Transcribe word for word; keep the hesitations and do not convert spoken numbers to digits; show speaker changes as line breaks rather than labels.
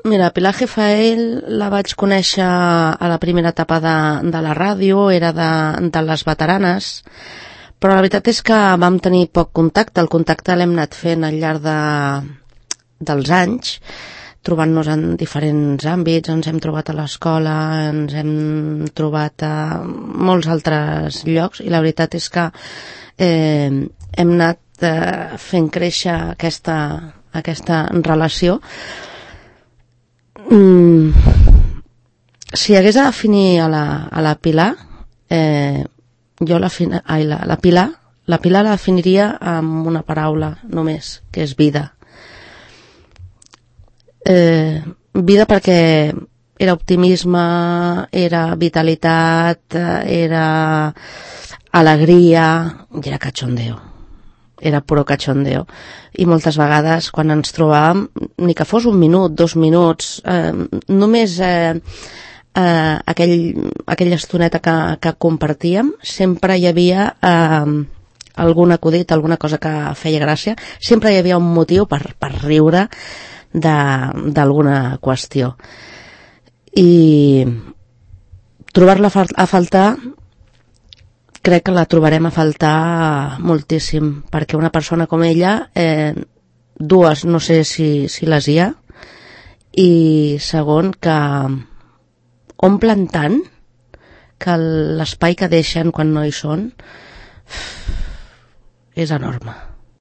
Mira, Pilar Gifael la vaig conèixer a la primera etapa de, de la ràdio, era de, de les veteranes, però la veritat és que vam tenir poc contacte. El contacte l'hem anat fent al llarg de, dels anys, trobant-nos en diferents àmbits. Ens hem trobat a l'escola, ens hem trobat a molts altres llocs, i la veritat és que eh, hem anat eh, fent créixer aquesta, aquesta relació. Mm, si hagués de definir a la, a la Pilar, eh, jo la, ai, la, la Pilar la Pilar la definiria amb una paraula només, que és vida. Eh, vida perquè era optimisme, era vitalitat, era alegria, i era cachondeo. Era puro cachondeo. I moltes vegades, quan ens trobàvem, ni que fos un minut, dos minuts, eh, només eh, eh, aquell, aquella estoneta que, que compartíem, sempre hi havia eh, algun acudit, alguna cosa que feia gràcia, sempre hi havia un motiu per, per riure d'alguna qüestió. I trobar-la a faltar, crec que la trobarem a faltar moltíssim, perquè una persona com ella, eh, dues, no sé si, si les hi ha, i segon, que omplen tant que l'espai que deixen quan no hi són és enorme.